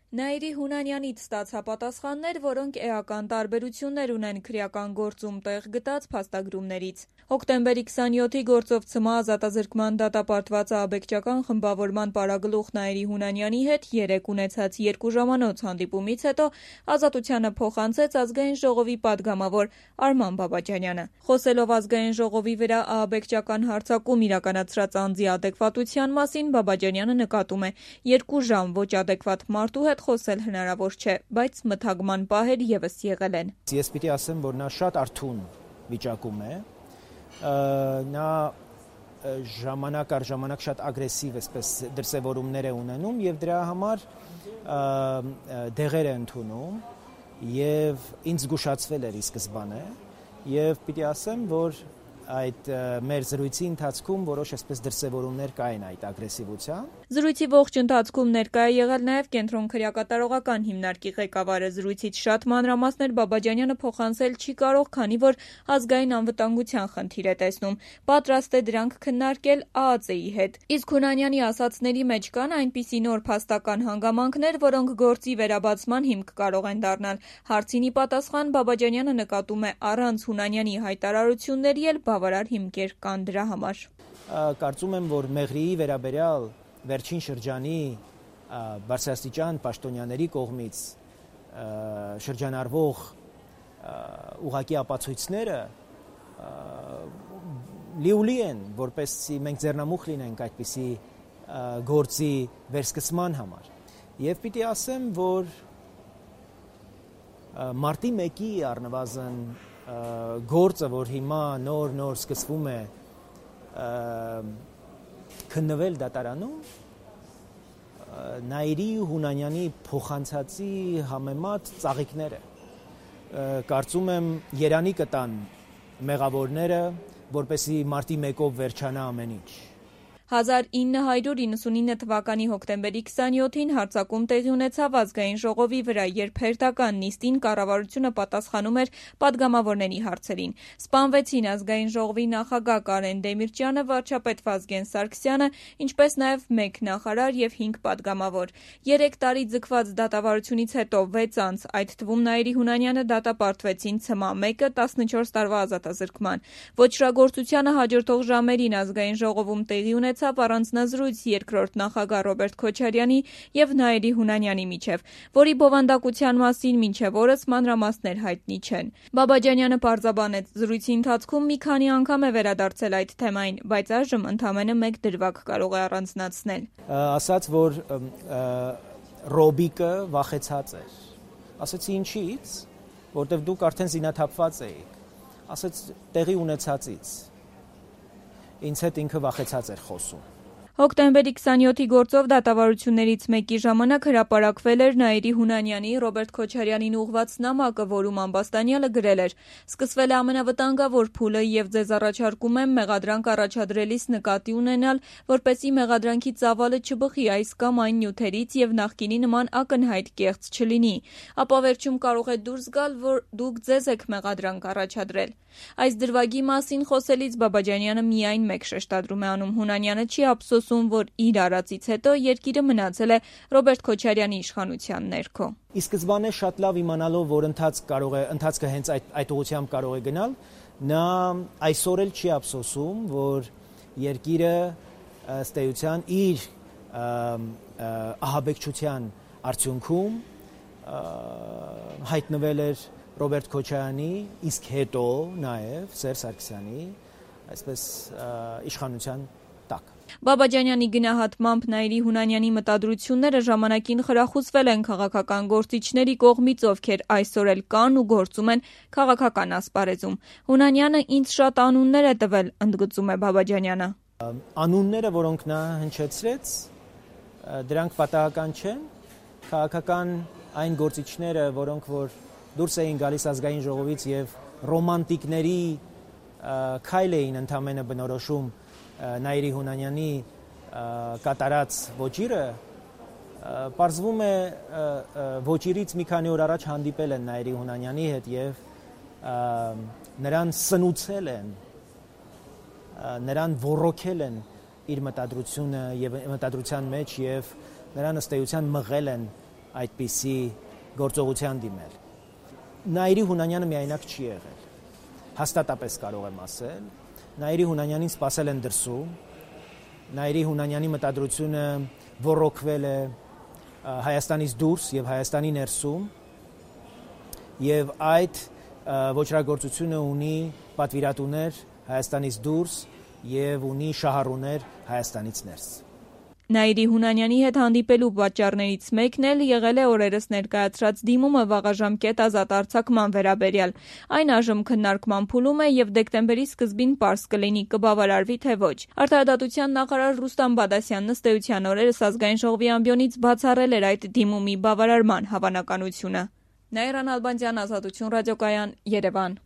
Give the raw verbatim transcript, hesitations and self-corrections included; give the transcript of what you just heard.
Նաիրի Հունանյանից ստացա պատասխաններ, որոնք էական տարբերություններ ունեն քրեական գործում տեղ գտած փաստագրումներից։ Հոկտեմբերի քսանյոթի գործով ցմահ ազատազրկման դատապարտված ահաբեկչական խմբավորման պարագլուխ Նաիրի Հունանյանի հետ երեկ ունեցած երկու ժամանոց հանդիպումից հետո ազատությանը փոխանցեց Ազգային ժողովի падգամավոր Արման Բաբաջանյանը։ Խոսելով Ազգային ժողովի վրա ահաբեկչական հարձակում իրականացրած անձի ադեկվատության մասին, Բաբաջանյանը նկատում է՝ երկու ժամ ոչ ադեկվատ մարդու հետ խոսել հնարավոր չէ, բայց մթագման պահեր ևս եղել են։ Ես պիտի ասեմ, որ նա շատ արթուն վիճակում է, նա ժամանակ առ ժամանակ շատ ագրեսիվ այսպես դրսևորումներ է ունենում եւ դրա համար դեղեր է ընդունում եւ ինձ զգուշացվել էր ի սկզբանե եւ պիտի ասեմ, որ այդ մեր զրույցի ընթացքում որոշ այսպես դրսևորումներ կային այդ ագրեսիվության։ Զրույցի ողջ ընթացքում ներկա է եղել նաև Կենտրոն քրեակատարողական հիմնարկի ղեկավարը։ Զրույցից շատ մանրամասներ Բաբաջանյանը փոխանցել չի կարող, քանի որ ազգային անվտանգության խնդիր է տեսնում։ Պատրաստ է դրանք քննարկել ԱԱԾ-ի հետ։ Իսկ Հունանյանի ասացների մեջ կան այնպիսի նոր փաստական հանգամանքներ, որոնք գործի վերաբացման հիմք կարող են դառնալ։ Հարցին ի պատասխան Բաբաջանյանը նկատում է առանց Հունանյանի հայտարարությունների էլ բավարար հիմքեր կան դրա համար։ Կարծում եմ, որ Մեղրիի վերաբերյալ վերջին շրջանի բարձրաստիճան պաշտոնյաների կողմից շրջանառվող ուղղակի ապացույցները լիուլի են, որպեսզի մենք ձեռնամուխ լինենք այդպիսի գործի վերսկսման համար։ Եվ պիտի ասեմ, որ մարտի մեկի առնվազն գործը, որ հիմա նոր-նոր սկսվում է քննվել դատարանում, Նաիրի Հունանյանի փոխանցածի համեմատ ծաղիկներ է։ Կարծում եմ երանի կտան մեղավորները, որպեսզի մարտի մեկով վերջանա ամեն ինչ։ հազար ինը հարյուր իննսունինը թվականի հոկտեմբերի քսանյոթին հարձակում տեղի ունեցավ Ազգային ժողովի վրա, երբ հերթական նիստին կառավարությունը պատասխանում էր падգամավորների հարցերին։ Սպանվեցին Ազգային ժողովի նախագահ Կարեն Դեմիրճյանը, վարչապետ Վազգեն Սարգսյանը, ինչպես նաև մեկ նախարար եւ հինգ падգամավոր։ Երեք տարի ձգված դատավարությունից հետո վեց անց, այդ թվում Նաիրի Հունանյանը դատապարտվեցին ցմահ մեկը տասնչորս տարվա ազատազրկման։ Ոչրագործությանը հաջորդող ժամերին Ազգային ժողովում տեղի ունեցավ առանձնազրույց երկրորդ նախագահ Ռոբերտ Քոչարյանի եւ Նաիրի Հունանյանի միջև, որի բովանդակության մասին մինչև օրս մանրամասներ հայտնի չեն։ Բաբաջանյանը պարզաբանեց, զրույցի ընթացքում մի քանի անգամ է վերադարձել այդ թեմային, բայց այժմ ընդամենը մեկ դրվագ կարող է առանձնացնել։ Ասաց, որ Ռոբիկը վախեցած էր։ Ասացի ինչի՞ց, որտեվ դուք արդեն զինաթափված էիք։ Ասաց տեղի ունեցածից։ Ինձ հետ ինքը վախեցած էր խոսում։ Հոկտեմբերի քսանյոթի գործով դատավարություններից մեկի ժամանակ հրապարակվել էր Նաիրի Հունանյանի Ռոբերտ Քոչարյանին ուղղված նամակը, որում Ամբաստանյանը գրել էր. «Սկսվել է ամենավտանգավոր փուլը եւ ձեզ առաջարկում եմ մեղադրանք առաջադրելիս նկատի ունենալ, որպեսզի մեղադրանքի ծավալը չբխի այս կամ այն նյութերից եւ նախկինի նման ակնհայտ կեղծ չլինի։ Ապա վերջում կարող է դուրս գալ, որ դուք ձեզ եք մեղադրանք առաջադրել»։ Այս դրվագի մասին խոսելիս Բաբաջանյանը միայն մեկ շեշտադրում է անում. Հունանյանը չի ափսոսում, որ իր արածից հետո երկիրը մնացել է Ռոբերտ Քոչարյանի իշխանության ներքո։ Ի սկզբանե շատ լավ իմանալով, որ ընթաց կարող է, ընթացքը հենց այդ այդ ուղղությամբ կարող է գնալ, նա այսօր էլ չի ափսոսում, որ երկիրը ըստ էության իր ահաբեկչության արդյունքում հայտնվել էր Ռոբերտ Քոչարյանի, իսկ հետո նաև Սերժ Սարգսյանի այսպես իշխանության տակ։ Բաբաջանյանի գնահատմամբ Նաիրի Հունանյանի մտադրությունները ժամանակին խրախուսվել են քաղաքական գործիչների կողմից, ովքեր այսօր էլ կան ու գործում են քաղաքական ասպարեզում։ Հունանյանը ինձ շատ անուններ է տվել, ընդգծում է Բաբաջանյանը։ Անունները, որոնք նա հնչեցրեց, դրանք պատահական չեն։ Քաղաքական այն գործիչները, որոնք որ դուրս էին գալիս Ազգային ժողովից եւ ռոմանտիկների քայլ էին ընդամենը բնորոշում Նաիրի Հունանյանի կատարած ոճիրը, պարզվում է ոճիրից մի քանի օր առաջ հանդիպել են Նաիրի Հունանյանի հետ եւ նրան սնուցել են, նրան ոռոգել են իր մտադրությունը եւ մտադրության մեջ եւ նրան ըստ էության մղել են այդպիսի գործողության դիմել։ Նաիրի Հունանյանը միայնակ չի եղել։ Հաստատապես կարող եմ ասել, Նաիրի Հունանյանին սպասել են դրսում, Նաիրի Հունանյանի մտադրությունը ոռոգվել է Հայաստանից դուրս եւ Հայաստանի ներսում, եւ այդ ոչրագործությունը ունի պատվիրատուներ Հայաստանից դուրս եւ ունի շահառուներ Հայաստանից ներս։ Նաիրի Հունանյանի հետ հանդիպելու պատճառներից մեկն էլ եղել է օրերս ներկայացրած դիմումը վաղաժամկետ ազատ արձակման վերաբերյալ։ Այն այժմ քննարկման փուլում է եւ դեկտեմբերի սկզբին պարզ կլինի կբավարարվի թե ոչ։ Արդարադատության նախարար Ռուստամ Բադասյանն ըստ էության օրերս ազգային ժողովի ամբիոնից բացառել էր այդ դիմումի բավարարման հավանականությունը։ Նաիրա Նալբանդյան, Ազատություն ռադիոկայան, Երևան։